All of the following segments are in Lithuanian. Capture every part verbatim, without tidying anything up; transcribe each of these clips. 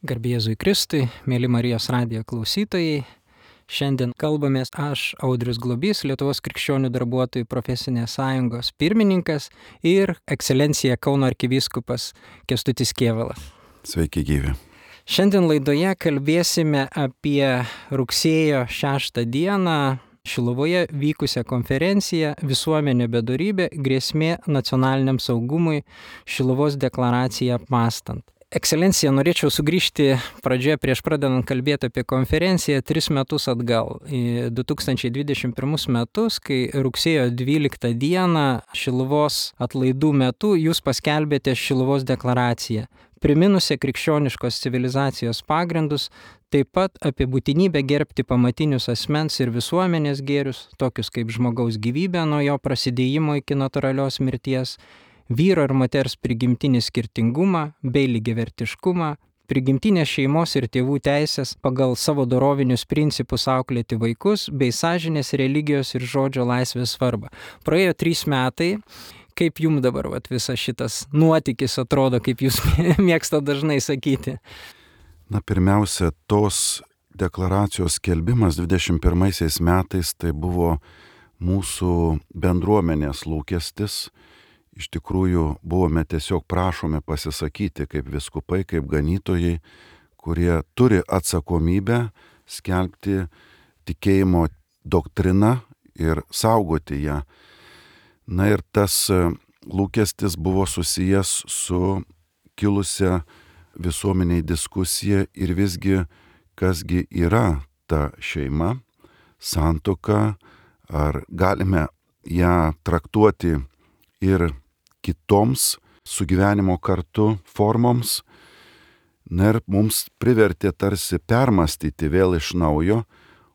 Garbė Jėzui Kristui, mėly Marijos radijo klausytojai. Šiandien kalbamės aš, Audrius Globys, Lietuvos krikščionių darbuotojų profesinės sąjungos pirmininkas ir ekscelencija Kauno arkivyskupas Kęstutis Kėvalas. Sveiki gyvi. Šiandien laidoje kalbėsime apie rugsėjo šeštą dieną Šiluvoje vykusią konferenciją Visuomenė bedorybė – grėsmė nacionaliniam saugumui Šiluvos deklaraciją apmąstant. Ekscelencija, norėčiau sugrįžti pradžioje prieš pradedant kalbėti apie konferenciją tris metus atgal, į du tūkstančiai dvidešimt pirmus metus, kai rugsėjo dvyliktą dieną Šiluvos atlaidų metu jūs paskelbėte Šiluvos deklaraciją, priminusią krikščioniškos civilizacijos pagrindus, taip pat apie būtinybę gerbti pamatinius asmens ir visuomenės gėrius, tokius kaip žmogaus gyvybė nuo jo prasidėjimo iki natūralios mirties, vyro ir moters prigimtinį skirtingumą bei lygiavertiškumą, prigimtinės šeimos ir tėvų teisės pagal savo dorovinius principus auklėti vaikus bei sąžinės, religijos ir žodžio laisvės svarbą. Praėjo trys metai. Kaip jums dabar vat, visas šitas nuotykis atrodo, kaip jūs mėgstate dažnai sakyti? Na, pirmiausia, tos deklaracijos skelbimas dvidešimt pirmaisiais metais tai buvo mūsų bendruomenės lūkestis. Iš tikrųjų, buvome tiesiog prašomi pasisakyti kaip vyskupai, kaip ganytojai, kurie turi atsakomybę skelbti tikėjimo doktriną ir saugoti ją. Na ir tas lūkestis buvo susijęs su kilusia visuomeniai diskusija ir visgi, kasgi yra ta šeima, santuoka, ar galime ją traktuoti ir kitoms sugyvenimo kartu formoms. Na ir mums privertė tarsi permastyti vėl iš naujo,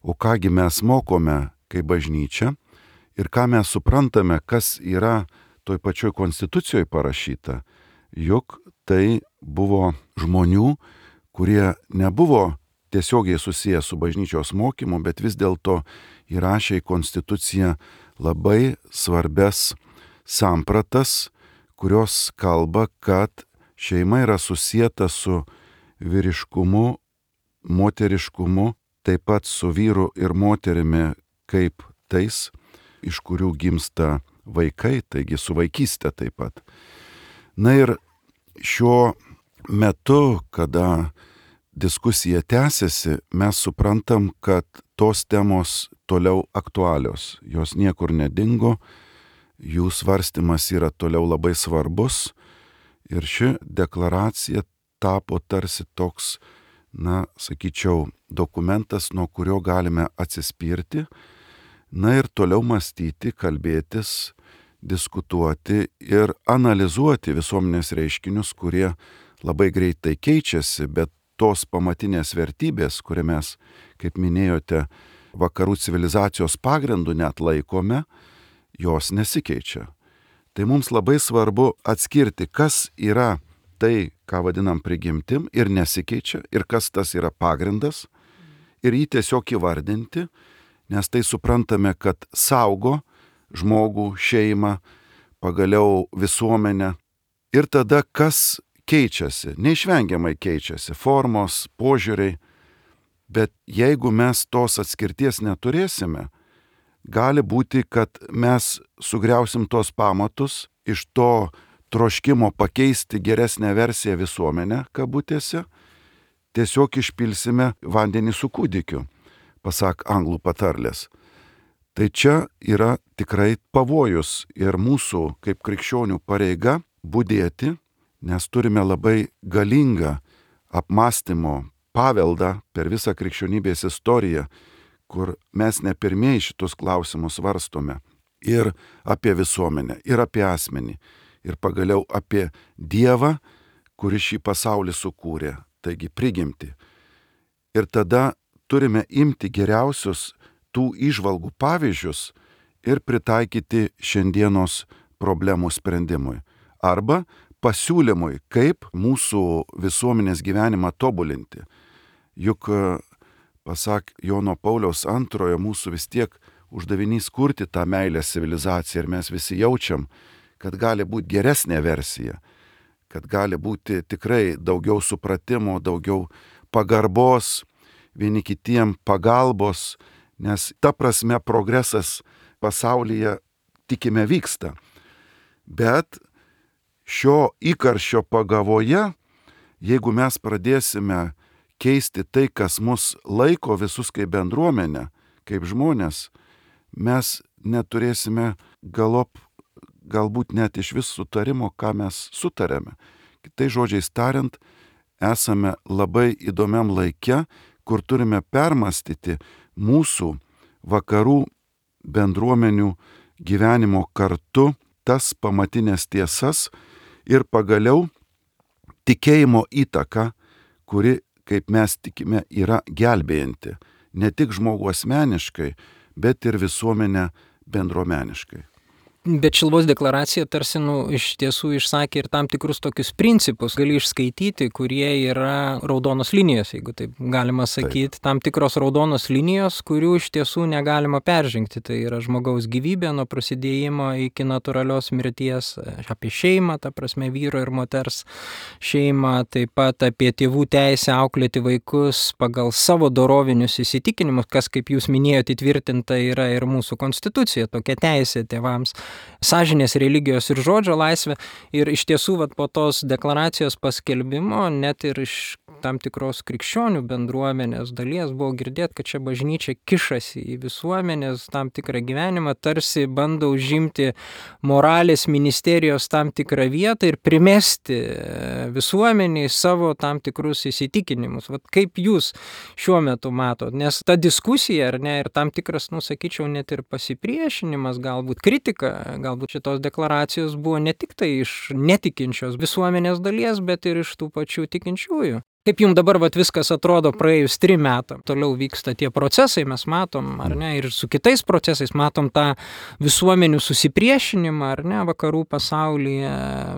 o kągi mes mokome kaip bažnyčia ir ką mes suprantame, kas yra toj pačioj konstitucijoje parašyta, juk tai buvo žmonių, kurie nebuvo tiesiogiai susiję su bažnyčios mokymu, bet vis dėlto įrašė į konstituciją labai svarbes sampratas, kurios kalba, kad šeima yra susieta su vyriškumu, moteriškumu, taip pat su vyru ir moterimi kaip tais, iš kurių gimsta vaikai, taigi su vaikystė taip pat. Na ir šiuo metu, kada diskusija tęsiasi, mes suprantam, kad tos temos toliau aktualios, jos niekur nedingo, jų svarstymas yra toliau labai svarbus ir ši deklaracija tapo tarsi toks, na, sakyčiau, dokumentas, nuo kurio galime atsispirti, na ir toliau mąstyti, kalbėtis, diskutuoti ir analizuoti visuomenės reiškinius, kurie labai greitai keičiasi, bet tos pamatinės vertybės, kurią mes, kaip minėjote, vakarų civilizacijos pagrindų net laikome, jos nesikeičia. Tai mums labai svarbu atskirti, kas yra tai, ką vadinam prigimtim ir nesikeičia, ir kas tas yra pagrindas, ir jį tiesiog įvardinti, nes tai suprantame, kad saugo žmogų, šeimą, pagaliau visuomenę. Ir tada kas keičiasi, neišvengiamai keičiasi, formos, požiūriai, bet jeigu mes tos atskirties neturėsime, gali būti, kad mes sugriausim tos pamatus iš to troškimo pakeisti geresnę versiją visuomenę, kabutėse, tiesiog išpilsime vandenį su kūdikiu, pasak anglų patarlės. Tai čia yra tikrai pavojus ir mūsų kaip krikščionių pareiga budėti, nes turime labai galingą apmąstymo paveldą per visą krikščionybės istoriją, kur mes ne pirmieji šitus klausimus svarstome ir apie visuomenę, ir apie asmenį, ir pagaliau apie Dievą, kuris šį pasaulį sukūrė, taigi prigimtį. Ir tada turime imti geriausius tų įžvalgų pavyzdžius ir pritaikyti šiandienos problemų sprendimui. Arba pasiūlymui, kaip mūsų visuomenės gyvenimą tobulinti. Juk, pasak Jono Pauliaus antrojo, mūsų vis tiek uždavinys kurti tą meilės civilizaciją ir mes visi jaučiam, kad gali būti geresnė versija, kad gali būti tikrai daugiau supratimo, daugiau pagarbos, vieni kitiem pagalbos, nes ta prasme progresas pasaulyje, tikime, vyksta. Bet šio įkarščio pagavoje, jeigu mes pradėsime keisti tai, kas mus laiko visus kaip bendruomenę, kaip žmonės, mes neturėsime galop, galbūt net iš vis sutarimo, ką mes sutarėme. Kitais žodžiais tariant, esame labai įdomiam laike, kur turime permastyti mūsų vakarų bendruomenių gyvenimo kartu tas pamatinės tiesas ir pagaliau tikėjimo įtaka, kuri, kaip mes tikime, yra gelbėjanti ne tik žmogų asmeniškai, bet ir visuomenę bendruomeniškai. Bet Šiluvos deklaracija tarsi nu, iš tiesų išsakė ir tam tikrus tokius principus, gali išskaityti, kurie yra raudonos linijos, jeigu taip galima sakyti, taip. Tam tikros raudonos linijos, kurių iš tiesų negalima peržengti. Tai yra žmogaus gyvybė nuo prasidėjimo iki natūralios mirties, apie šeimą, ta prasme vyro ir moters šeimą, taip pat apie tėvų teisę auklėti vaikus pagal savo dorovinius įsitikinimus, kas, kaip jūs minėjote, įtvirtinta yra ir mūsų konstitucija, tokia teisė tėvams. Sąžinės, religijos ir žodžio laisvė. Ir iš tiesų vat, po tos deklaracijos paskelbimo net ir iš tam tikros krikščionių bendruomenės dalies buvo girdėti, kad čia bažnyčia kišasi į visuomenės tam tikrą gyvenimą, tarsi bando užimti moralės ministerijos tam tikrą vietą ir primesti visuomeniai savo tam tikrus įsitikinimus. Vat kaip jūs šiuo metu matot? Nes ta diskusija, ar ne, ir tam tikras, nu, sakyčiau, net ir pasipriešinimas, galbūt kritika, galbūt šitos deklaracijos buvo ne tik tai iš netikinčios visuomenės dalies, bet ir iš tų pačių tikinčiųjų. Kaip jums dabar vat, viskas atrodo praėjus trim metam? Toliau vyksta tie procesai, mes matom, ar ne, ir su kitais procesais matom tą visuomenių susipriešinimą, ar ne, vakarų pasaulyje,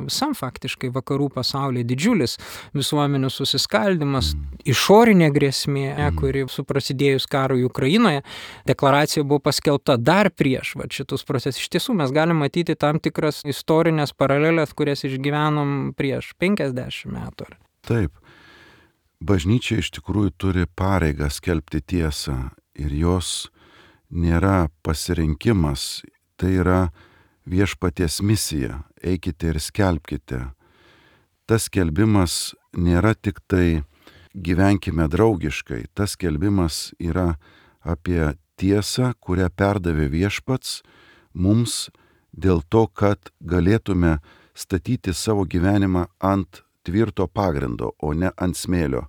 visam faktiškai vakarų pasaulyje didžiulis visuomenių susiskaldimas, išorinė grėsmė, kuri su prasidėjus karui Ukrainoje, deklaracija buvo paskelbta dar prieš vat, šitus procesus. Iš tiesų mes galim matyti tam tikras istorinės paralelės, kurias išgyvenom prieš penkiasdešimt metų. Taip. Bažnyčia iš tikrųjų turi pareigą skelbti tiesą ir jos nėra pasirinkimas, tai yra viešpaties misija, eikite ir skelbkite. Tas skelbimas nėra tik tai gyvenkime draugiškai, tas skelbimas yra apie tiesą, kurią perdavė viešpats mums dėl to, kad galėtume statyti savo gyvenimą ant tvirto pagrindo, o ne ant smėlio,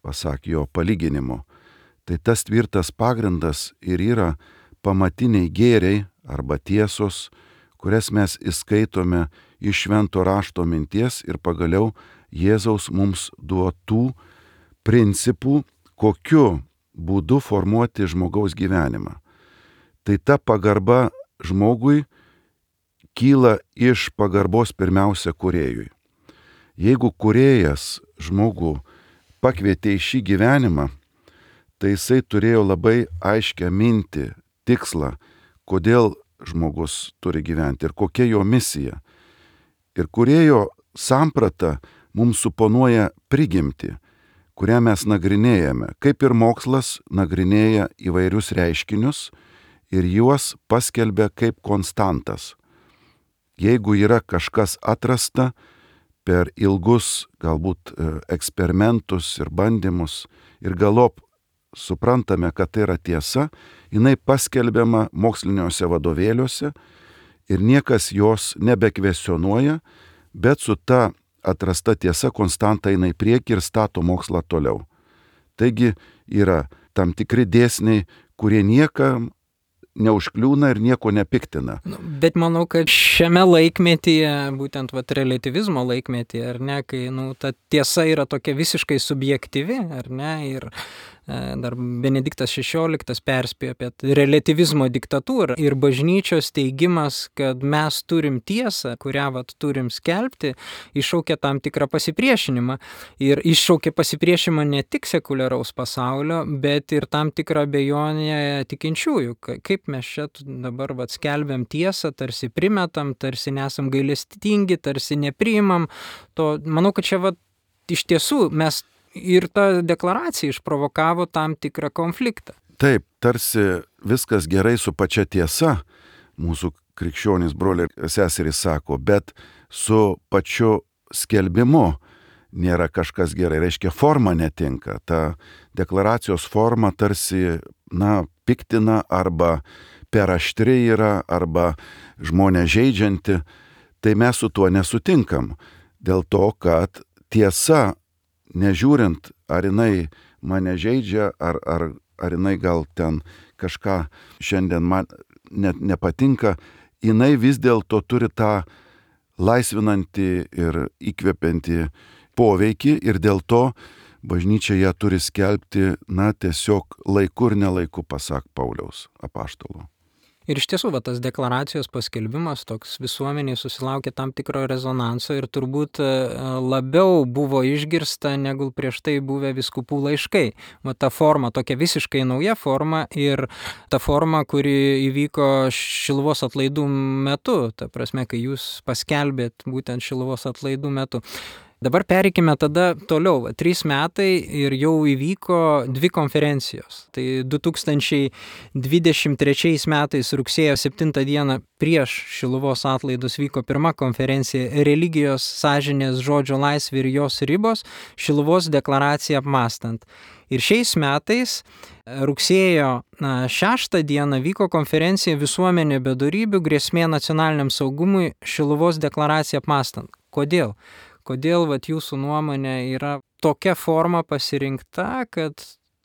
pasak jo palyginimo. Tai tas tvirtas pagrindas ir yra pamatiniai gėriai arba tiesos, kurias mes įskaitome iš švento rašto minties ir pagaliau Jėzaus mums duotų principų, kokiu būdu formuoti žmogaus gyvenimą. Tai ta pagarba žmogui kyla iš pagarbos pirmiausia kūrėjui. Jeigu kūrėjas žmogų pakvietė į šį gyvenimą, tai jisai turėjo labai aiškią mintį, tikslą, kodėl žmogus turi gyventi ir kokia jo misija. Ir kūrėjo samprata mums suponuoja prigimtį, kurią mes nagrinėjame, kaip ir mokslas nagrinėja įvairius reiškinius ir juos paskelbia kaip konstantas. Jeigu yra kažkas atrasta, per ilgus galbūt eksperimentus ir bandymus ir galop suprantame, kad tai yra tiesa, jinai paskelbiama moksliniuose vadovėliuose ir niekas jos nebekvesionuoja, bet su ta atrasta tiesa konstanta eina į priekį ir stato mokslą toliau. Taigi yra tam tikri dėsniai, kurie niekam neužkliūna ir nieko nepiktina. Bet manau, kad šiame laikmetyje, būtent vat, relativizmo laikmetyje, ar ne, kai nu, ta tiesa yra tokia visiškai subjektyvi, ar ne, ir dar Benediktas šešioliktas perspėjo apie relativizmo diktatūrą ir bažnyčios teigimas, kad mes turim tiesą, kurią vat, turim skelbti, iššaukia tam tikrą pasipriešinimą. Ir iššaukia pasipriešinimą ne tik sekuliaraus pasaulio, bet ir tam tikrą abejonę tikinčiųjų. Kaip mes čia dabar vat, skelbiam tiesą, tarsi primetam, tarsi nesam gailestingi, tarsi nepriimam. To, manau, kad čia vat, iš tiesų mes ir ta deklaracija išprovokavo tam tikrą konfliktą. Taip, tarsi viskas gerai su pačia tiesa, mūsų krikščionys broliai ir seserys sako, bet su pačiu skelbimu nėra kažkas gerai. Reiškia, forma netinka. Ta deklaracijos forma tarsi, na, piktina arba per aštri yra, arba žmonės žeidžianti. Tai mes su tuo nesutinkam. Dėl to, kad tiesa, nežiūrint, ar jinai mane žeidžia, ar, ar, ar jinai gal ten kažką šiandien man net nepatinka, jinai vis dėlto turi tą laisvinantį ir įkvepiantį poveikį ir dėl to bažnyčia ją turi skelbti, na, tiesiog laiku ir nelaiku, pasak Pauliaus apaštalo. Ir iš tiesų, va, tas deklaracijos paskelbimas toks visuomeniai susilaukė tam tikro rezonanso ir turbūt labiau buvo išgirsta negu prieš tai buvę vyskupų laiškai. Va, ta forma, tokia visiškai nauja forma ir ta forma, kuri įvyko Šiluvos atlaidų metu, ta prasme, kai jūs paskelbėt būtent Šiluvos atlaidų metu. Dabar pereikime tada toliau. Trys metai ir jau įvyko dvi konferencijos. Tai du tūkstančiai dvidešimt trečiais metais rugsėjo septintą dieną prieš Šiluvos atlaidus vyko pirma konferencija Religijos, sąžinės, žodžio laisvė ir jos ribos – Šiluvos deklaraciją apmąstant. Ir šiais metais rugsėjo šeštą dieną vyko konferencija Visuomenė be dorybių, grėsmė nacionaliniam saugumui – Šiluvos deklaraciją apmąstant. Kodėl? Kodėl vat, jūsų nuomonė yra tokia forma pasirinkta, kad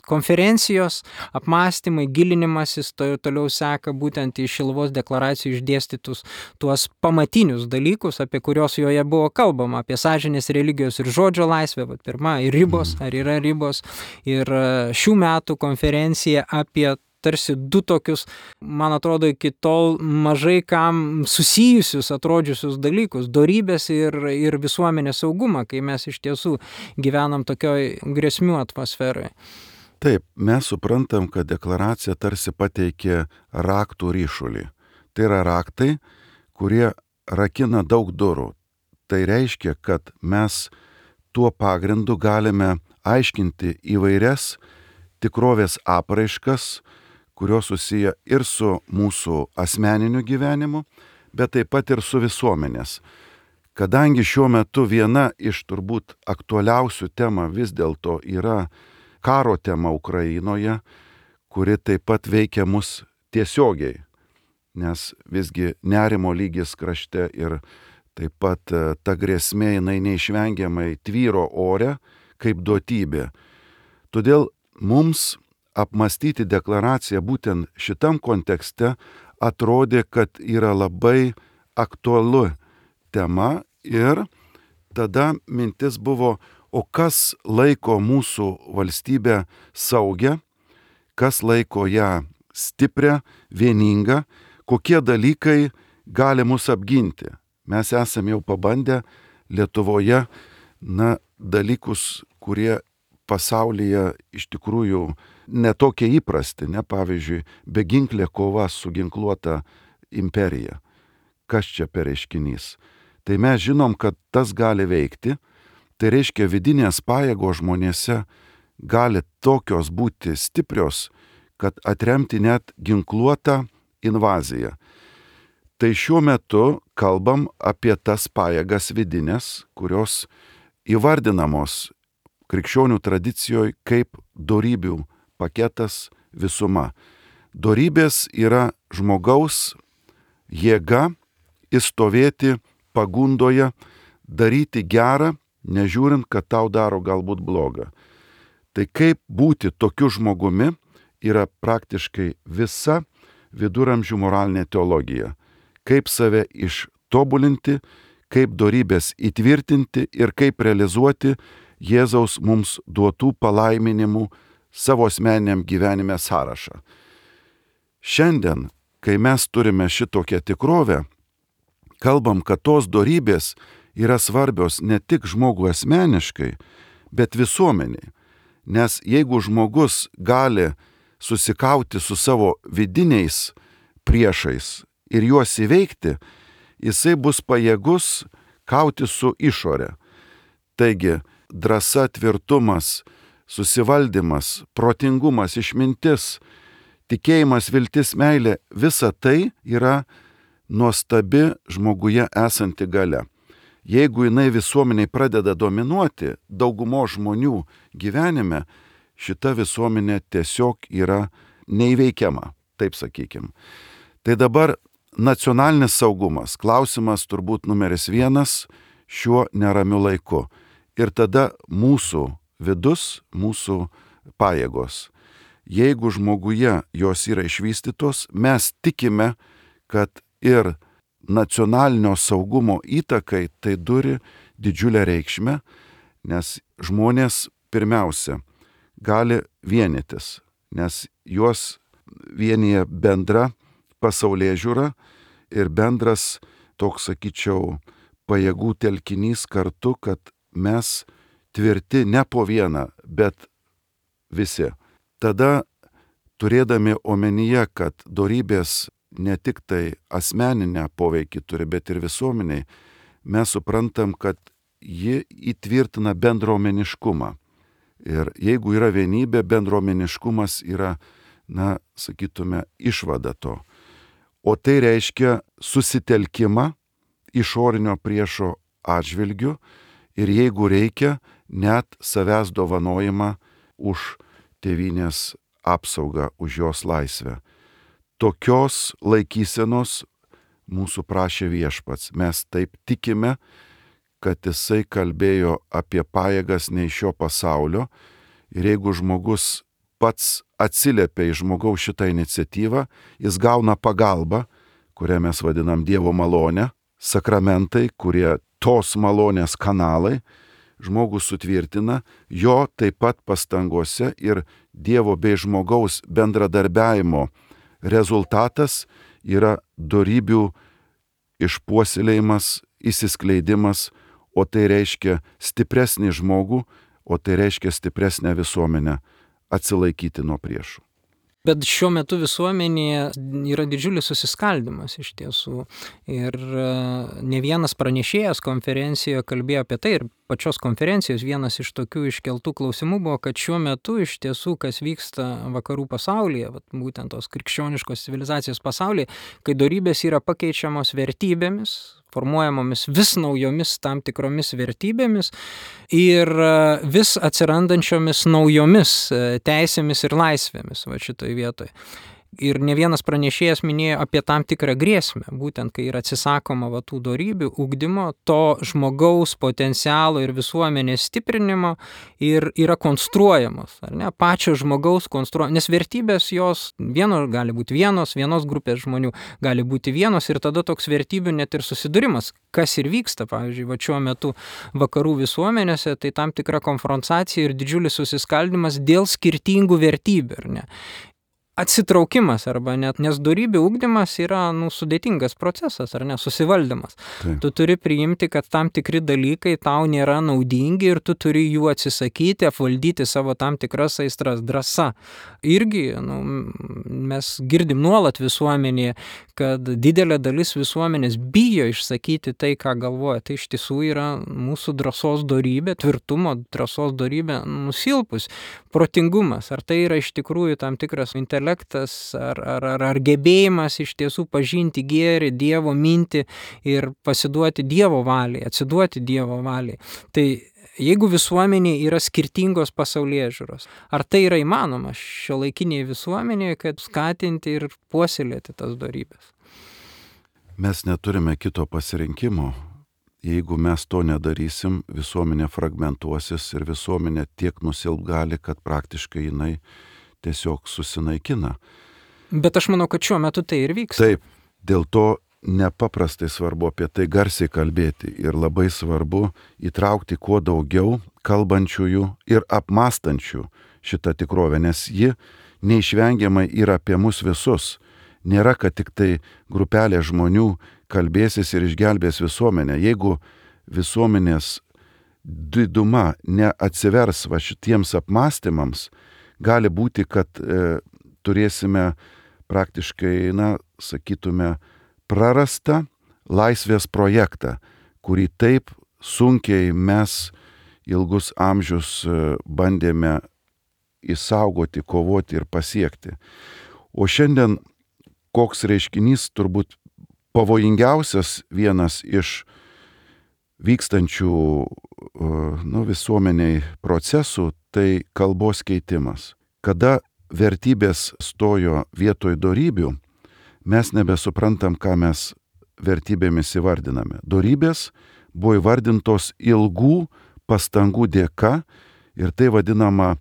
konferencijos apmąstymai, gilinimasis to, toliau seka būtent į Šiluvos deklaracijų išdėstytus tuos pamatinius dalykus, apie kurios joje buvo kalbama, apie sąžinės, religijos ir žodžio laisvę, vat, pirma, ir ribos, ar yra ribos, ir šių metų konferencija apie tarsi du tokius, man atrodo, iki tol mažai kam susijusius, atrodžiusius dalykus, dorybės ir, ir visuomenės saugumą, kai mes iš tiesų gyvenam tokioj grėsmių atmosferoje. Taip, mes suprantam, kad deklaracija tarsi pateikė raktų ryšulį. Tai yra raktai, kurie rakina daug durų. Tai reiškia, kad mes tuo pagrindu galime aiškinti įvairias tikrovės apraiškas, kurios susiję ir su mūsų asmeniniu gyvenimu, bet taip pat ir su visuomenės. Kadangi šiuo metu viena iš turbūt aktualiausių temų vis dėlto yra karo tema Ukrainoje, kuri taip pat veikia mus tiesiogiai, nes visgi nerimo lygis krašte ir taip pat ta grėsmė jinai neišvengiamai tvyro ore kaip duotybė. Todėl mums apmąstyti deklaraciją būtent šitam kontekste atrodė, kad yra labai aktualu tema ir tada mintis buvo, o kas laiko mūsų valstybę saugę, kas laiko ją stiprią, vieningą, kokie dalykai gali mus apginti. Mes esame jau pabandę Lietuvoje, na, dalykus, kurie pasaulyje iš tikrųjų netokie įprasti, ne, pavyzdžiui, beginklė kova su ginkluota imperija. Kas čia per reiškinys? Tai mes žinom, kad tas gali veikti, tai reiškia vidinės pajėgos žmonėse gali tokios būti stiprios, kad atremti net ginkluotą invaziją. Tai šiuo metu kalbam apie tas pajėgas vidinės, kurios įvardinamos krikščionių tradicijoje kaip dorybių paketas visuma. Dorybės yra žmogaus jėga įstovėti pagundoje, daryti gerą, nežiūrint, kad tau daro galbūt blogą. Tai kaip būti tokiu žmogumi yra praktiškai visa viduramžių moralinė teologija. Kaip save ištobulinti, kaip dorybės įtvirtinti ir kaip realizuoti Jėzaus mums duotų palaiminimų savo asmeniniam gyvenime sąrašą. Šiandien, kai mes turime šitokią tikrovę, kalbam, kad tos dorybės yra svarbios ne tik žmogui asmeniškai, bet visuomeniai. Nes jeigu žmogus gali susikauti su savo vidiniais priešais ir juos įveikti, jisai bus pajėgus kauti su išore. Taigi, drąsa, tvirtumas, susivaldymas, protingumas, išmintis, tikėjimas, viltis, meilė, visa tai yra nuostabi žmoguje esanti galia. Jeigu jinai visuomeniai pradeda dominuoti daugumo žmonių gyvenime, šita visuomenė tiesiog yra neįveikiama, taip sakykim. Tai dabar nacionalinis saugumas, klausimas turbūt numeris vienas šiuo neramiu laiku. Ir tada mūsų vidus, mūsų pajėgos. Jeigu žmoguje jos yra išvystytos, mes tikime, kad ir nacionalinio saugumo įtakai tai turi didžiulę reikšmę, nes žmonės pirmiausia gali vienytis, nes juos vienyje bendra pasaulėžiūra ir bendras toks, sakyčiau, pajėgų telkinys kartu, kad mes tvirti ne po vieną, bet visi. Tada, turėdami omenyje, kad dorybės ne tik tai asmeninę poveikį turi, bet ir visuomeniai, mes suprantam, kad ji įtvirtina bendruomeniškumą. Ir jeigu yra vienybė, bendruomeniškumas yra, na, sakytume, išvada to. O tai reiškia susitelkimą išorinio priešo atžvilgiu ir jeigu reikia, net savęs dovanojimą už tėvynės apsaugą, už jos laisvę. Tokios laikysenos mūsų prašė Viešpats. Mes taip tikime, kad jisai kalbėjo apie pajėgas ne iš šio pasaulio ir jeigu žmogus pats atsiliepia į žmogaus šitą iniciatyvą, jis gauna pagalbą, kurią mes vadinam Dievo malonę, sakramentai, kurie tos malonės kanalai, žmogus sutvirtina, jo taip pat pastangose ir Dievo bei žmogaus bendradarbiavimo rezultatas yra dorybių išpuoselėjimas, įsiskleidimas, o tai reiškia stipresnį žmogų, o tai reiškia stipresnę visuomenę atsilaikyti nuo priešų. Bet šiuo metu visuomenėje yra didžiulis susiskaldimas iš tiesų. Ir ne vienas pranešėjas konferencijoje kalbėjo apie tai, ir pačios konferencijos vienas iš tokių iškeltų klausimų buvo, kad šiuo metu iš tiesų, kas vyksta vakarų pasaulyje, vat, būtent tos krikščioniškos civilizacijos pasaulyje, kai dorybės yra pakeičiamos vertybėmis, formuojamomis vis naujomis tam tikromis vertybėmis ir vis atsirandančiomis naujomis teisėmis ir laisvėmis va šitoj vietoj. Ir ne vienas pranešėjas minėjo apie tam tikrą grėsmę, būtent kai yra atsisakoma va tų dorybių, ugdymo, to žmogaus potencialo ir visuomenės stiprinimo ir yra konstruojamos, ar ne, pačio žmogaus konstruojamos, nes vertybės jos vieno gali būti vienos, vienos grupės žmonių gali būti vienos ir tada toks vertybių net ir susidūrimas, kas ir vyksta, pavyzdžiui, va šiuo metu vakarų visuomenėse, tai tam tikra konfrontacija ir didžiulis susiskaldimas dėl skirtingų vertybių, ar ne. Atsitraukimas arba net, nes dorybių ugdymas yra nu, sudėtingas procesas, ar ne, susivaldymas. Taip. Tu turi priimti, kad tam tikri dalykai tau nėra naudingi ir tu turi jų atsisakyti, apvaldyti savo tam tikras aistras. Drąsa. Irgi nu, mes girdim nuolat visuomenėje, kad didelė dalis visuomenės bijo išsakyti tai, ką galvoja. Tai iš tiesų yra mūsų drąsos dorybė, tvirtumo drąsos dorybė nusilpus. Protingumas. Ar tai yra iš tikrųjų tam tikras intelektas, ar, ar, ar, ar gebėjimas iš tiesų pažinti gėrį, Dievo mintį ir pasiduoti Dievo valiai, atsiduoti Dievo valiai. Tai jeigu visuomenėje yra skirtingos pasaulėžiūros, ar tai yra įmanoma šiuolaikinėje visuomenėje, kad skatinti ir puoselėti tas dorybės? Mes neturime kito pasirinkimo. Jeigu mes to nedarysim, visuomenė fragmentuosis ir visuomenė tiek nusilp gali, kad praktiškai jinai tiesiog susinaikina. Bet aš manau, kad šiuo metu tai ir vyksta. Taip, dėl to nepaprastai svarbu apie tai garsiai kalbėti ir labai svarbu įtraukti kuo daugiau kalbančiųjų ir apmąstančių šitą tikrovę, nes ji neišvengiamai yra apie mus visus. Nėra, kad tik tai grupelė žmonių kalbėsis ir išgelbės visuomenę. Jeigu visuomenės diduma neatsivers va šitiems apmąstymams, gali būti, kad e, turėsime praktiškai, na, sakytume, prarastą laisvės projektą, kurį taip sunkiai mes ilgus amžius bandėme įsaugoti, kovoti ir pasiekti. O šiandien koks reiškinys, turbūt pavojingiausias vienas iš vykstančių nu, visuomeniai procesų, tai kalbos keitimas. Kada vertybės stojo vietoj dorybių, mes nebesuprantam, ką mes vertybėmis įvardiname. Dorybės buvo įvardintos ilgų pastangų dėka ir tai vadinama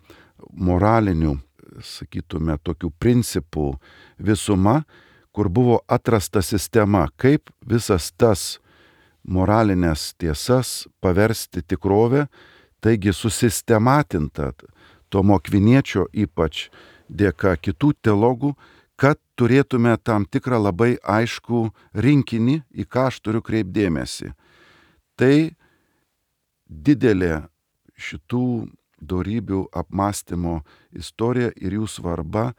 moralinių, sakytume, tokių principų visuma, kur buvo atrasta sistema, kaip visas tas moralinės tiesas paversti tikrovę, taigi susistematinta Tomo Akviniečio ypač dėka kitų teologų, kad turėtume tam tikrą labai aiškų rinkinį, į ką aš turiu kreipdėmėsi. Tai didelė šitų dorybių apmąstymo istorija ir jų svarba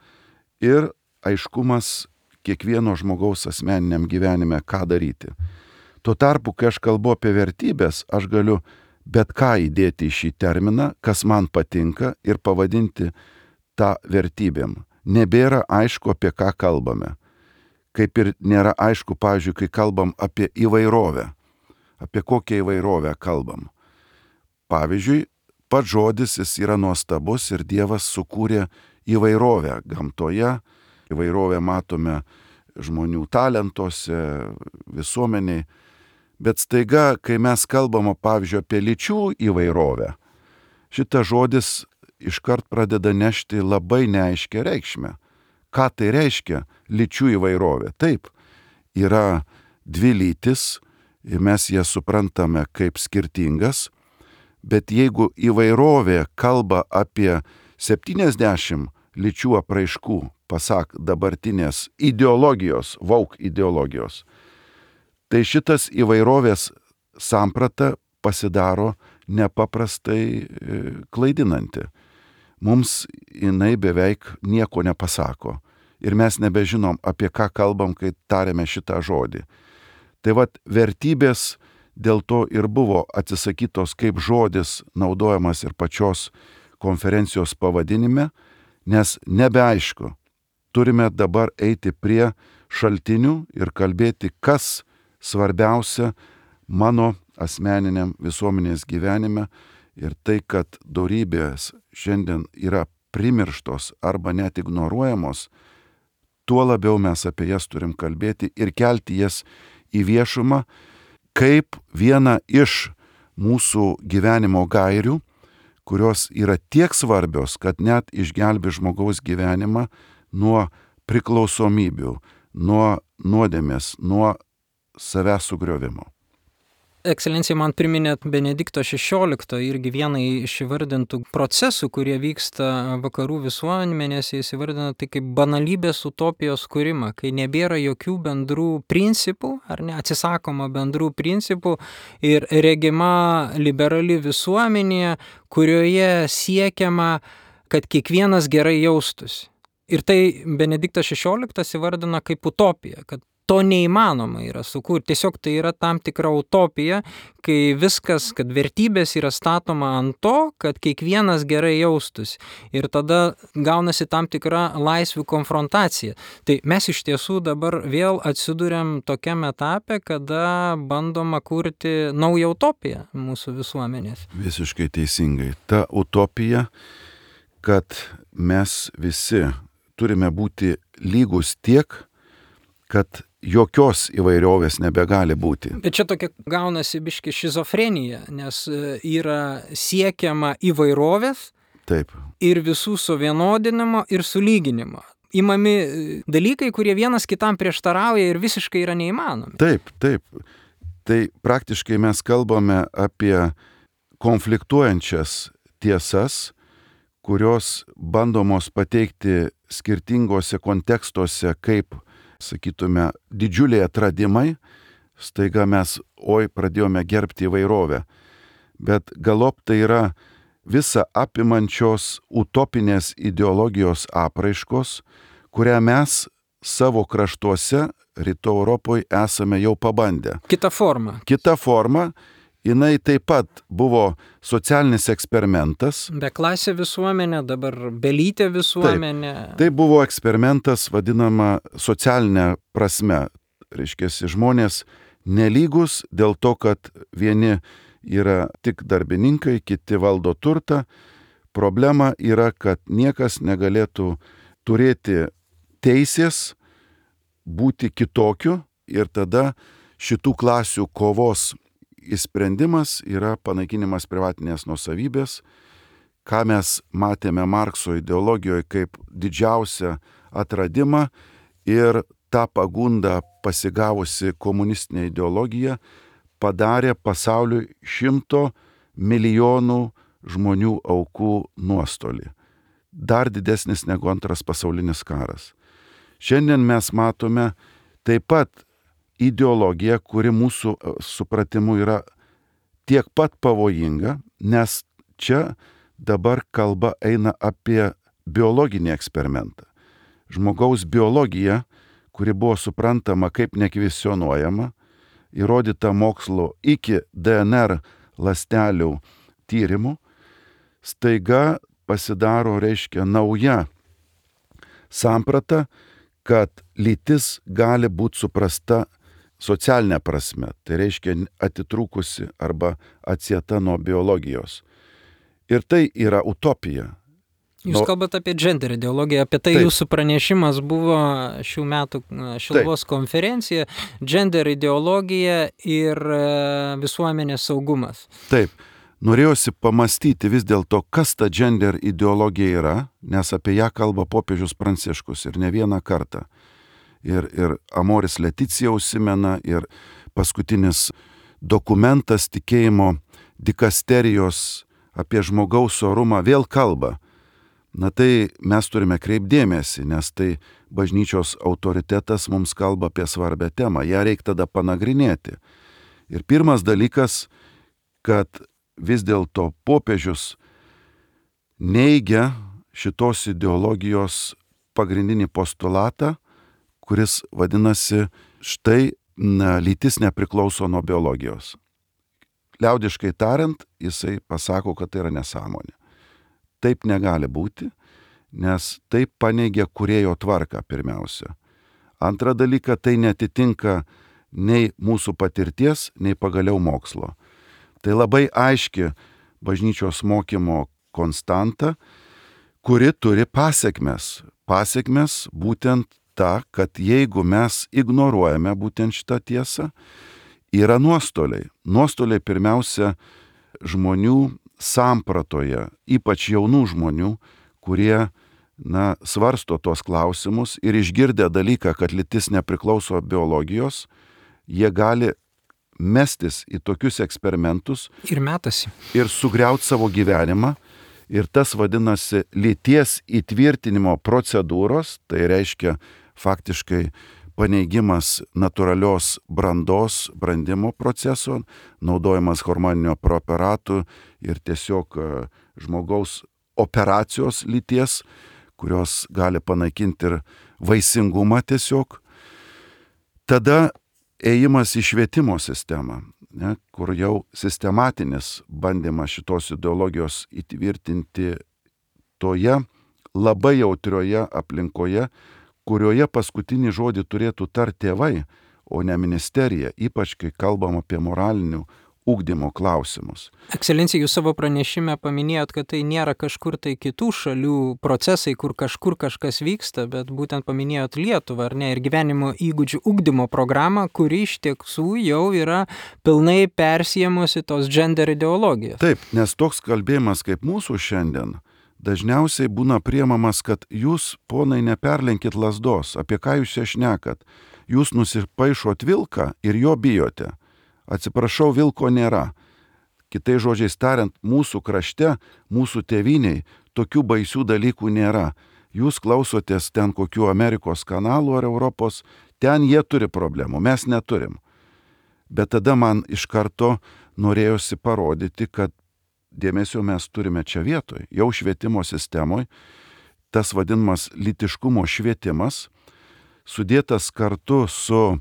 ir aiškumas kiekvieno žmogaus asmeniniam gyvenime, ką daryti. Tuo tarpu, kai aš kalbu apie vertybės, aš galiu bet ką įdėti į šį terminą, kas man patinka ir pavadinti tą vertybėm. Nebėra aišku, apie ką kalbame. Kaip ir nėra aišku, pavyzdžiui, kai kalbam apie įvairovę. Apie kokią įvairovę kalbam. Pavyzdžiui, pats žodis jis yra nuostabus ir Dievas sukūrė įvairovę gamtoje. Įvairovę matome žmonių talentuose, visuomeniai. Bet staiga, kai mes kalbame, pavyzdžiui, apie lyčių įvairovę, šitas žodis iškart pradeda nešti labai neaiškę reikšmę. Ką tai reiškia lyčių įvairovė? Taip, yra dvi lytis ir mes jas suprantame kaip skirtingas, bet jeigu įvairovė kalba apie septyniasdešimt lyčių apraiškų, pasak dabartinės ideologijos, woke ideologijos, tai šitas įvairovės samprata pasidaro nepaprastai klaidinanti. Mums jinai beveik nieko nepasako ir mes nebežinom, apie ką kalbam, kai tariame šitą žodį. Tai vat vertybės dėl to ir buvo atsisakytos kaip žodis naudojamas ir pačios konferencijos pavadinime, nes nebeaišku. Turime dabar eiti prie šaltinių ir kalbėti, kas svarbiausia mano asmeniniam visuomenės gyvenime ir tai, kad dorybės šiandien yra primirštos arba net ignoruojamos, tuo labiau mes apie jas turim kalbėti ir kelti jas į viešumą kaip vieną iš mūsų gyvenimo gairių, kurios yra tiek svarbios, kad net išgelbi žmogaus gyvenimą nuo priklausomybių, nuo nuodėmės, nuo savęs sugriovimo. Ekscelencija, man priminėt Benedikto šešioliktojo irgi vieną iš įvardintų procesų, kurie vyksta vakarų visuomenėse, jis įvardina tai kaip banalybės utopijos kūrimą, kai nebėra jokių bendrų principų, ar ne, atsisakoma bendrų principų ir regima liberali visuomenė, kurioje siekiama, kad kiekvienas gerai jaustųsi. Ir tai Benediktas šešioliktas įvardina kaip utopiją, kad to neįmanoma yra sukurti. Tiesiog tai yra tam tikra utopija, kai viskas, kad vertybės yra statoma ant to, kad kiekvienas gerai jaustųsi. Ir tada gaunasi tam tikra laisvių konfrontacija. Tai mes iš tiesų dabar vėl atsiduriam tokiam etape, kada bandoma kurti naują utopiją mūsų visuomenės. Visiškai teisingai. Ta utopija, kad mes visi turime būti lygus tiek, kad jokios įvairovės nebegali būti. Bet čia tokia gaunasi biški šizofrenija, nes yra siekiama įvairovės. Taip. Ir visų suvienodinimo ir sulyginimo. imami dalykai, kurie vienas kitam prieštarauja ir visiškai yra neįmanomi. Taip, taip. Tai praktiškai mes kalbame apie konfliktuojančias tiesas, kurios bandomos pateikti skirtingose kontekstuose kaip, sakytume, didžiuliai atradimai. Staiga mes, oi, pradėjome gerbti įvairovę. Bet galop tai yra visa apimančios utopinės ideologijos apraiškos, kurią mes savo kraštuose, Rytų Europoje, esame jau pabandę. Kita forma. Kita forma, jinai taip pat buvo socialinis eksperimentas. Beklasė visuomenė, dabar belytė visuomenė. Taip, tai buvo eksperimentas vadinama socialinė prasme. Reiškia, žmonės nelygus dėl to, kad vieni yra tik darbininkai, kiti valdo turtą. Problema yra, kad niekas negalėtų turėti teisės būti kitokiu ir tada šitų klasių kovos įsprendimas yra panaikinimas privatinės nuosavybės, ką mes matėme Markso ideologijoje kaip didžiausią atradimą, ir tą pagundą pasigavusi komunistinė ideologija padarė pasauliui šimto milijonų žmonių aukų nuostolį. Dar didesnis negu antras pasaulinis karas. Šiandien mes matome taip pat ideologiją, kuri mūsų supratimu yra tiek pat pavojinga, nes čia dabar kalba eina apie biologinį eksperimentą. Žmogaus biologija, kuri buvo suprantama kaip nekvestionuojama, įrodyta mokslo iki D N R ląstelių tyrimų, staiga pasidaro, reiškia, nauja samprata, kad lytis gali būti suprasta socialinė prasme, tai reiškia atitrūkusi arba atsieta nuo biologijos. Ir tai yra utopija. Jūs kalbate apie gender ideologiją, apie tai Taip. Jūsų pranešimas buvo šių metų Šiluvos Taip. konferencija, gender ideologija ir visuomenės saugumas. Taip, norėjosi pamastyti vis dėlto, kas ta gender ideologija yra, nes apie ją kalba popiežius Pranciškus ir ne vieną kartą. Ir, ir Amoris Leticija užsimena, ir paskutinis dokumentas tikėjimo dikasterijos apie žmogaus orumą vėl kalba. Na tai mes turime kreipdėmėsi, nes tai bažnyčios autoritetas mums kalba apie svarbę temą. Ja reikia tada panagrinėti. Ir pirmas dalykas, kad vis dėlto popiežius neigia šitos ideologijos pagrindinį postulatą, kuris vadinasi, štai na, lytis nepriklauso nuo biologijos. Liaudiškai tariant, jisai pasako, kad tai yra nesąmonė. Taip negali būti, nes taip paneigia kūrėjo tvarką pirmiausia. Antra dalyka, tai netitinka nei mūsų patirties, nei pagaliau mokslo. Tai labai aiški bažnyčios mokymo konstanta, kuri turi pasekmes. Pasekmes būtent ta, kad jeigu mes ignoruojame būtent šitą tiesą, yra nuostoliai. Nuostoliai pirmiausia žmonių sampratoje, ypač jaunų žmonių, kurie na, svarsto tuos klausimus ir išgirdę dalyką, kad lytis nepriklauso biologijos, jie gali mestis į tokius eksperimentus ir metasi. Ir sugriauti savo gyvenimą. Ir tas vadinasi lyties įtvirtinimo procedūros, tai reiškia faktiškai paneigimas natūralios brandos, brandimo proceso, naudojimas hormoninio preparatų ir tiesiog žmogaus operacijos lyties, kurios gali panaikinti ir vaisingumą tiesiog. Tada ėjimas į švietimo sistemą, ne, kur jau sistematinis bandymas šitos ideologijos įtvirtinti toje labai jautrioje aplinkoje, kurioje paskutinį žodį turėtų tarti tėvai, o ne ministerija, ypač kai kalbam apie moralinių ugdymo klausimus. Ekscelencija, jūs savo pranešime paminėjot, kad tai nėra kažkur tai kitų šalių procesai, kur kažkur kažkas vyksta, bet būtent paminėjot Lietuvą, ar ne, ir gyvenimo įgūdžių ugdymo programą, kuri iš tiesų jau yra pilnai persiemusi tos gender ideologijos. Taip, nes toks kalbėjimas kaip mūsų šiandien, dažniausiai būna priemamas, kad jūs, ponai, neperlenkit lazdos, apie ką jūs čia šnekat. Jūs nusipaišot vilką ir jo bijote. Atsiprašau, vilko nėra. Kitais žodžiais tariant, mūsų krašte, mūsų tėviniai tokių baisių dalykų nėra. Jūs klausotės ten kokių Amerikos kanalų ar Europos, ten jie turi problemų, mes neturim. Bet tada man iš karto norėjosi parodyti, kad dėmesio mes turime čia vietoj. Jau švietimo sistemoje tas vadinamas lytiškumo švietimas, sudėtas kartu su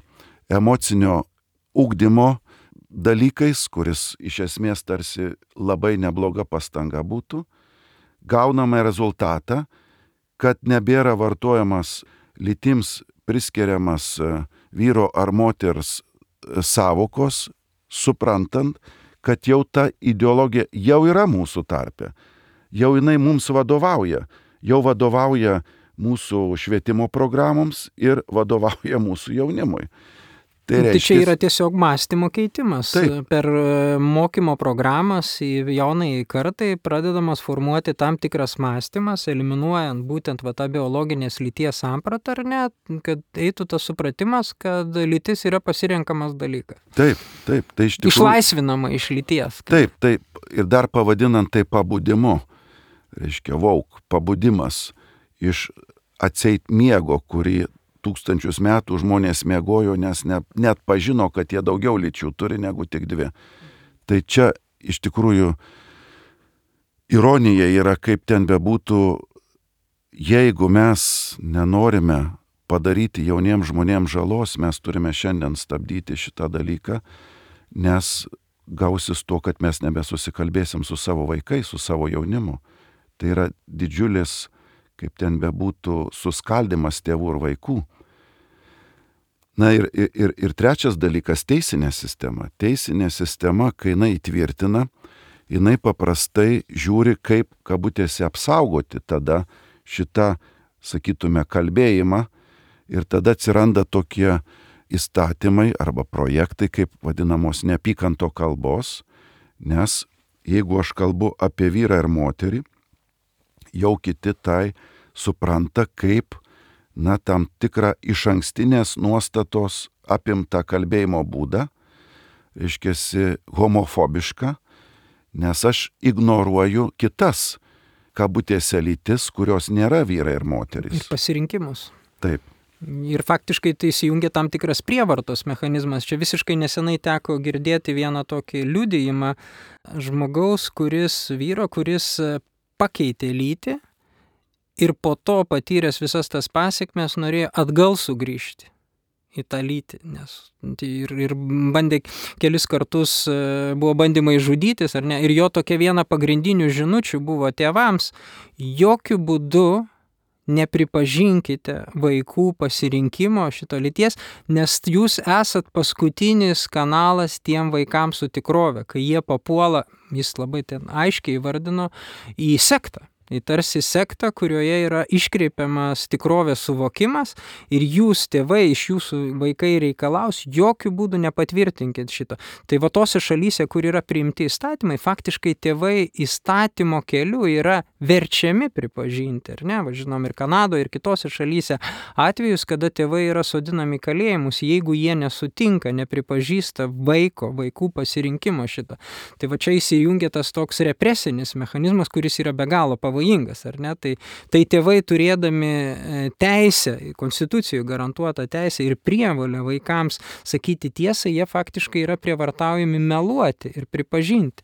emocinio ugdymo dalykais, kuris iš esmės tarsi labai nebloga pastanga būtų, gauname rezultatą, kad nebėra vartojamas lytims priskiriamas vyro ar moters savokos, suprantant, kad jau ta ideologija jau yra mūsų tarpe, jau jinai mums vadovauja, jau vadovauja mūsų švietimo programoms ir vadovauja mūsų jaunimui. Tai, reiškia, tai čia yra tiesiog mąstymo keitimas. Taip. Per mokymo programas į jaunai kartai pradedamas formuoti tam tikras mąstymas, eliminuojant būtent va, tą biologinės lyties sampratą, ar ne, kad eitų tas supratimas, kad lytis yra pasirenkamas dalykas. Taip, taip. Tai iš tikrųjų... Išlaisvinama iš lyties. Kad... Taip, taip. Ir dar pavadinant tai pabudimu. Reiškia, vauk, pabudimas iš atseit miego, kurį tūkstančius metų žmonės miegojo, nes ne, net pažino, kad jie daugiau lyčių turi negu tik dvi. Tai čia iš tikrųjų ironija yra, kaip ten bebūtų, jeigu mes nenorime padaryti jauniems žmonėms žalos, mes turime šiandien stabdyti šitą dalyką, nes gausis to, kad mes nebesusikalbėsim su savo vaikais, su savo jaunimu. Tai yra didžiulis, kaip ten bebūtų, suskaldimas tėvų ir vaikų. Na ir, ir, ir trečias dalykas - teisinė sistema. Teisinė sistema, kai jinai įtvirtina, jinai paprastai žiūri, kaip kabutėse apsaugoti tada šitą, sakytume, kalbėjimą ir tada atsiranda tokie įstatymai arba projektai, kaip vadinamos neapykanto kalbos, nes jeigu aš kalbu apie vyrą ir moterį, jau kiti tai supranta kaip, na, tam tikrą išankstinės nuostatos apimtą kalbėjimo būdą, reiškiasi homofobišką, nes aš ignoruoju kitas kabutėse lytis, kurios nėra vyrai ir moterys. Ir pasirinkimus. Taip. Ir faktiškai tai įsijungia tam tikras prievartos mechanizmas. Čia visiškai nesenai teko girdėti vieną tokį liudijimą žmogaus, kuris, vyro, kuris pakeitė lytį ir po to patyręs visas tas pasekmes norėjo atgal sugrįžti į tą lytį, nes ir, ir bandė kelis kartus, buvo bandymai žudytis, ar ne, ir jo tokia viena pagrindinių žinučių buvo tėvams: jokių būdų nepripažinkite vaikų pasirinkimo šito lyties, nes jūs esat paskutinis kanalas tiem vaikams su tikrove, kai jie papuola, jis labai ten aiškiai įvardino, į sektą. Tai tarsi sekta, kurioje yra iškreipiamas tikrovės suvokimas ir jūs, tėvai, iš jūsų vaikai reikalaus, jokių būdų nepatvirtinkit šito. Tai va tose šalyse, kur yra priimti įstatymai, faktiškai tėvai įstatymo keliu yra verčiami pripažinti, ar ne? Va, žinom, ir Kanadoje, ir kitose šalyse atvejus, kada tėvai yra sodinami kalėjimus, jeigu jie nesutinka, nepripažįsta vaiko, vaikų pasirinkimo šito. Tai va čia įsijungia tas toks represinis mechanizmas, kuris yra be galo pavojingas. Pavojingas, ar ne? Tai, tai tėvai turėdami teisę, konstitucijų garantuotą teisę ir prievolę vaikams sakyti tiesą, jie faktiškai yra prievartaujami meluoti ir pripažinti.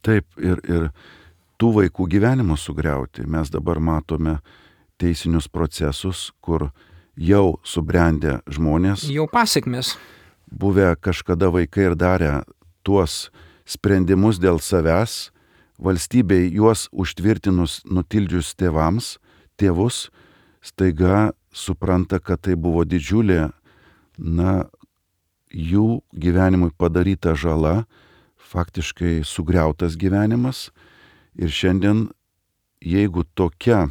Taip, ir, ir tų vaikų gyvenimus sugriauti. Mes dabar matome teisinius procesus, kur jau subrendę žmonės, jau pasekmės, buvę kažkada vaikai ir darę tuos sprendimus dėl savęs, valstybei juos užtvirtinus nutildžius tėvams, tėvus, staiga supranta, kad tai buvo didžiulė, na, jų gyvenimui padaryta žala, faktiškai sugriautas gyvenimas. Ir šiandien, jeigu tokia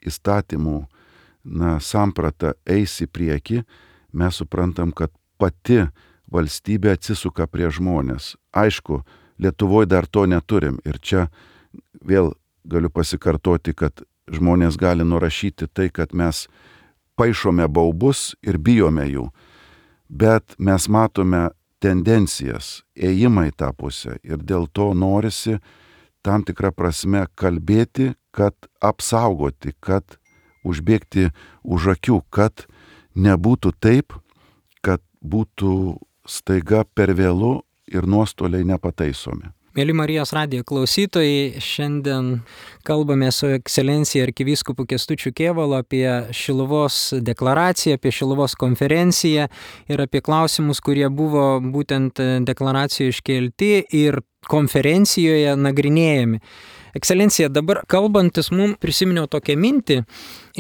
įstatymų, na, samprata eis į priekį, mes suprantam, kad pati valstybė atsisuka prie žmonės. Aišku, Lietuvoje dar to neturim ir čia vėl galiu pasikartoti, kad žmonės gali nurašyti tai, kad mes paišome baubus ir bijome jų, bet mes matome tendencijas, ėjimą į tą pusę ir dėl to norisi tam tikrą prasme kalbėti, kad apsaugoti, kad užbėgti už akių, kad nebūtų taip, kad būtų staiga per vėlu ir nuostoliai nepataisomi. Mėly Marijos radijo klausytojai, šiandien kalbame su ekscelencija arkivyskupu Kęstučiu Kėvalu apie Šiluvos deklaraciją, apie Šiluvos konferenciją ir apie klausimus, kurie buvo būtent deklaracijoje iškelti ir konferencijoje nagrinėjami. Ekscelencija, dabar kalbantis mums prisiminiau tokią mintį,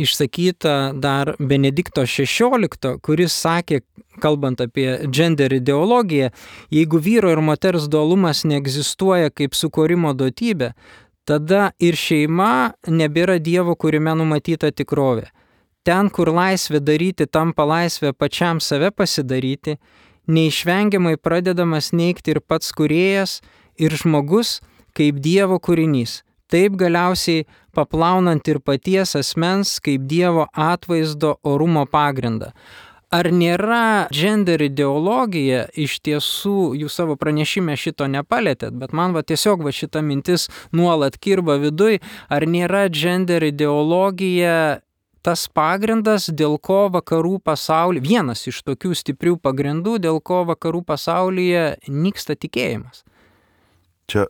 išsakytą dar Benedikto šešiolikto, kuris sakė, kalbant apie gender ideologiją, jeigu vyro ir moters dualumas neegzistuoja kaip sukūrimo duotybė, tada ir šeima nebėra Dievo kūrime numatyta tikrovė. Ten, kur laisvė daryti tampa laisvė pačiam save pasidaryti, neišvengiamai pradedamas neigti ir pats kūrėjas, ir žmogus kaip Dievo kūrinys, taip galiausiai paplaunant ir paties asmens kaip Dievo atvaizdo orumo pagrindą. Ar nėra gender ideologija, iš tiesų jūs savo pranešime šito nepalėtėt, bet man va tiesiog va šita mintis nuolat kirba viduj, ar nėra gender ideologija tas pagrindas, dėl ko vakarų pasaulyje, vienas iš tokių stiprių pagrindų, dėl ko vakarų pasaulyje nyksta tikėjimas? Čia,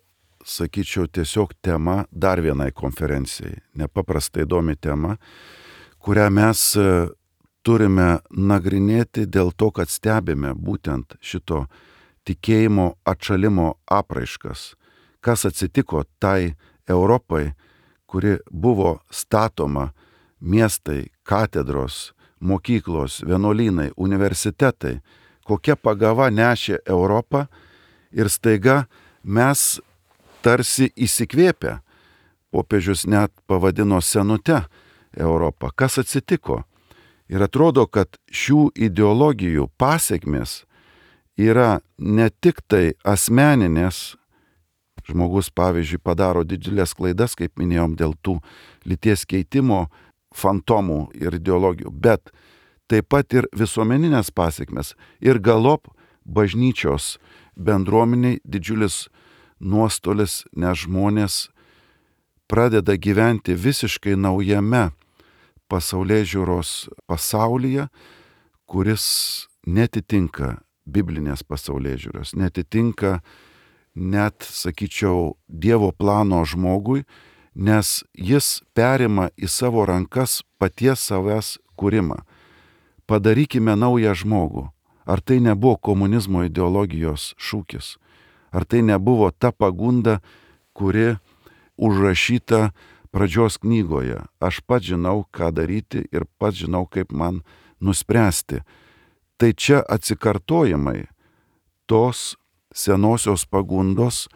sakyčiau, tiesiog tema dar vienai konferencijai. Nepaprastai įdomi tema, kurią mes turime nagrinėti dėl to, kad stebime būtent šito tikėjimo atšalimo apraiškas. Kas atsitiko tai Europai, kuri buvo statoma miestai, katedros, mokyklos, vienuolynai, universitetai, kokia pagava nešė Europą ir staiga mes tarsi įsikvėpę, popiežius net pavadino senute Europą. Kas atsitiko? Ir atrodo, kad šių ideologijų pasekmės yra ne tik tai asmeninės, žmogus, pavyzdžiui, padaro didžiulės klaidas, kaip minėjom, dėl tų lyties keitimo fantomų ir ideologijų, bet taip pat ir visuomeninės pasekmės ir galop bažnyčios bendruomeniai didžiulis nuostolis, nes žmonės pradeda gyventi visiškai naujame pasaulėžiūros pasaulyje, kuris netitinka biblinės pasaulėžiūros, netitinka net, sakyčiau, Dievo plano žmogui, nes jis perima į savo rankas paties savęs kūrimą. Padarykime naują žmogų. Ar tai nebuvo komunizmo ideologijos šūkis? Ar tai nebuvo ta pagunda, kuri užrašyta pradžios knygoje? Aš pats žinau, ką daryti ir pats žinau, kaip man nuspręsti. Tai čia atsikartojimai tos senosios pagundos,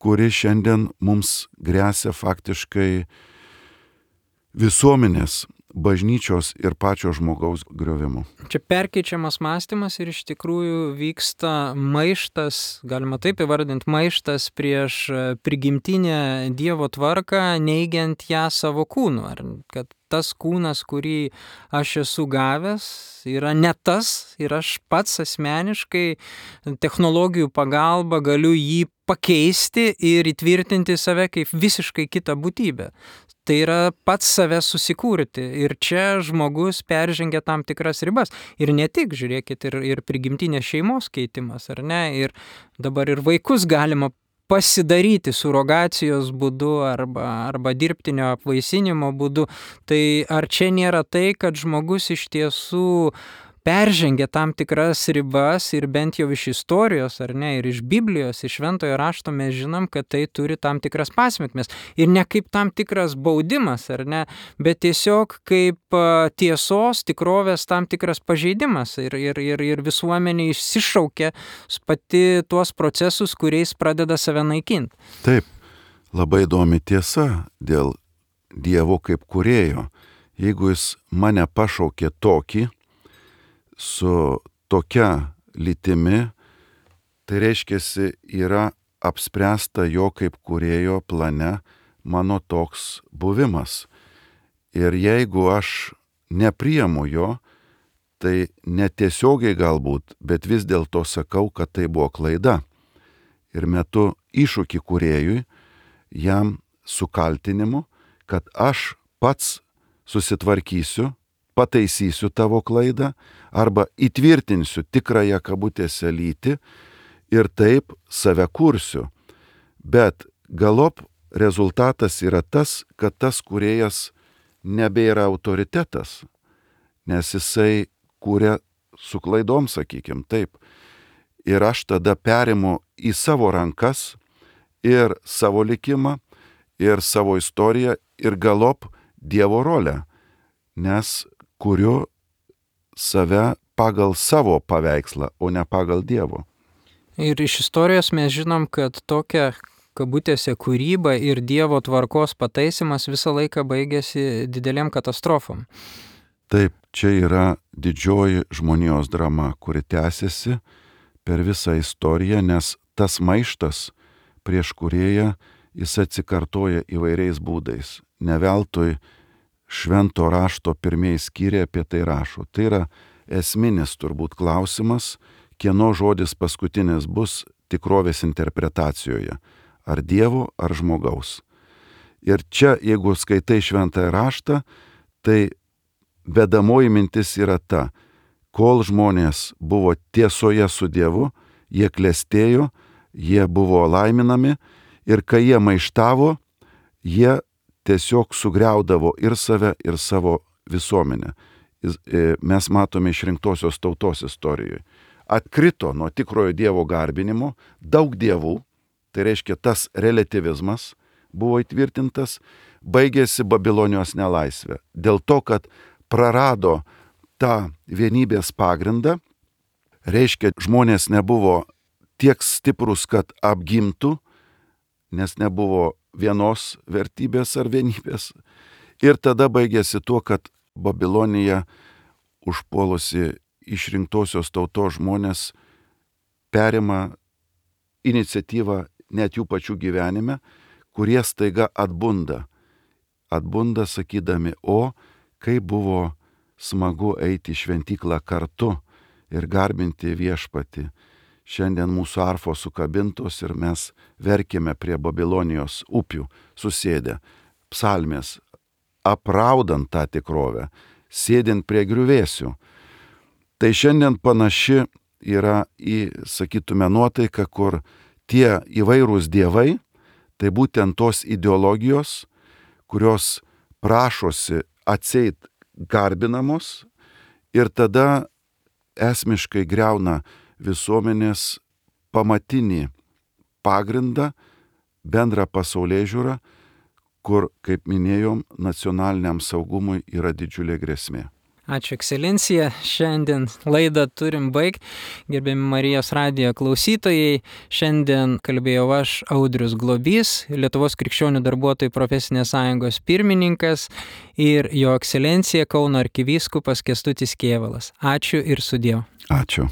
kuri šiandien mums gresia faktiškai visuomenės, bažnyčios ir pačio žmogaus griovimu. Čia perkeičiamas mąstymas ir iš tikrųjų vyksta maištas, galima taip įvardinti, maištas prieš prigimtinę Dievo tvarką, neigiant ją savo kūnu. Ar kad tas kūnas, kurį aš esu gavęs, yra ne tas ir aš pats asmeniškai technologijų pagalba galiu jį pakeisti ir įtvirtinti save kaip visiškai kitą būtybę. Tai yra pats save susikurti ir čia žmogus peržengia tam tikras ribas. Ir ne tik, žiūrėkit, ir, ir prigimtinės šeimos keitimas, ar ne? Ir dabar ir vaikus galima pasidaryti surogacijos būdu arba, arba dirbtinio apvaisinimo būdu. Tai ar čia nėra tai, kad žmogus iš tiesų peržengia tam tikras ribas ir bent jau iš istorijos, ar ne, ir iš Biblijos, iš Šventojo rašto mes žinom, kad tai turi tam tikras pasekmes. Ir ne kaip tam tikras baudimas, ar ne, bet tiesiog kaip tiesos, tikrovės tam tikras pažeidimas. Ir, ir, ir, ir visuomenė išsišaukia pati tuos procesus, kuriais pradeda save naikinti. Taip, labai įdomi tiesa dėl Dievo kaip kūrėjo. Jeigu jis mane pašaukė tokį, su tokia lytimi, tai reiškiasi yra apspręsta jo kaip kūrėjo plane mano toks buvimas. Ir jeigu aš nepriimu jo, tai netiesiogiai galbūt, bet vis dėlto sakau, kad tai buvo klaida. Ir metu iššūkį kūrėjui, jam su kaltinimu, kad aš pats susitvarkysiu, pataisysiu tavo klaidą arba įtvirtinsiu tikrąją kabutėse lytį ir taip save kursiu. Bet galop rezultatas yra tas, kad tas kūrėjas nebėra autoritetas, nes jisai kūrė su klaidom, sakykim, taip. Ir aš tada perimu į savo rankas ir savo likimą, ir savo istoriją, ir galop Dievo rolę, nes kuriu save pagal savo paveikslą, o ne pagal Dievo. Ir iš istorijos mes žinom, kad tokia kabutėse kūryba ir Dievo tvarkos pataisimas visą laiką baigėsi didelėm katastrofom. Taip, čia yra didžioji žmonijos drama, kuri tęsiasi per visą istoriją, nes tas maištas prieš kūrėją jis atsikartoja įvairiais būdais. Ne veltui švento rašto pirmieji skyriai apie tai rašo. Tai yra esminis turbūt klausimas, kieno žodis paskutinis bus tikrovės interpretacijoje. Ar Dievo, ar žmogaus. Ir čia, jeigu skaitai šventąjį raštą, tai vedamoji mintis yra ta, kol žmonės buvo tiesoje su Dievu, jie klestėjo, jie buvo laiminami ir kai jie maištavo, jie tiesiog sugriaudavo ir save, ir savo visuomenę. Mes matome išrinktosios tautos istorijoje. Atkrito nuo tikrojo Dievo garbinimo daug dievų, tai reiškia tas relativizmas buvo įtvirtintas, baigėsi Babilonijos nelaisvė. Dėl to, kad prarado tą vienybės pagrindą, reiškia žmonės nebuvo tiek stiprus, kad apgimtų, nes nebuvo vienos vertybės ar vienybės. Ir tada baigėsi tuo, kad Babilonija užpuolusi išrinktosios tautos žmonės perima iniciatyvą net jų pačių gyvenime, kurie staiga atbunda. Atbunda sakydami, o kaip buvo smagu eiti į šventyklą kartu ir garbinti viešpatį. Šiandien mūsų arfos sukabintos ir mes verkėme prie Babilonijos upių susėdę. Psalmės, apraudant tą tikrovę, sėdint prie griuvėsių. Tai šiandien panaši yra į, sakytume, nuotaika, kur tie įvairūs dievai, tai būtent tos ideologijos, kurios prašosi atseit garbinamos ir tada esmiškai griauna visuomenės pamatinį pagrindą, bendrą pasaulėžiūrą, kur, kaip minėjom, nacionaliniam saugumui yra didžiulė grėsmė. Ačiū, ekscelencija. Šiandien laidą turim baigti. Gerbiami Marijos radijo klausytojai, šiandien kalbėjau aš, Audrius Globys, Lietuvos krikščionių darbuotojų profesinės sąjungos pirmininkas ir jo ekscelencija Kauno arkivyskupas Kęstutis Kėvalas. Ačiū ir sudie. Ačiū.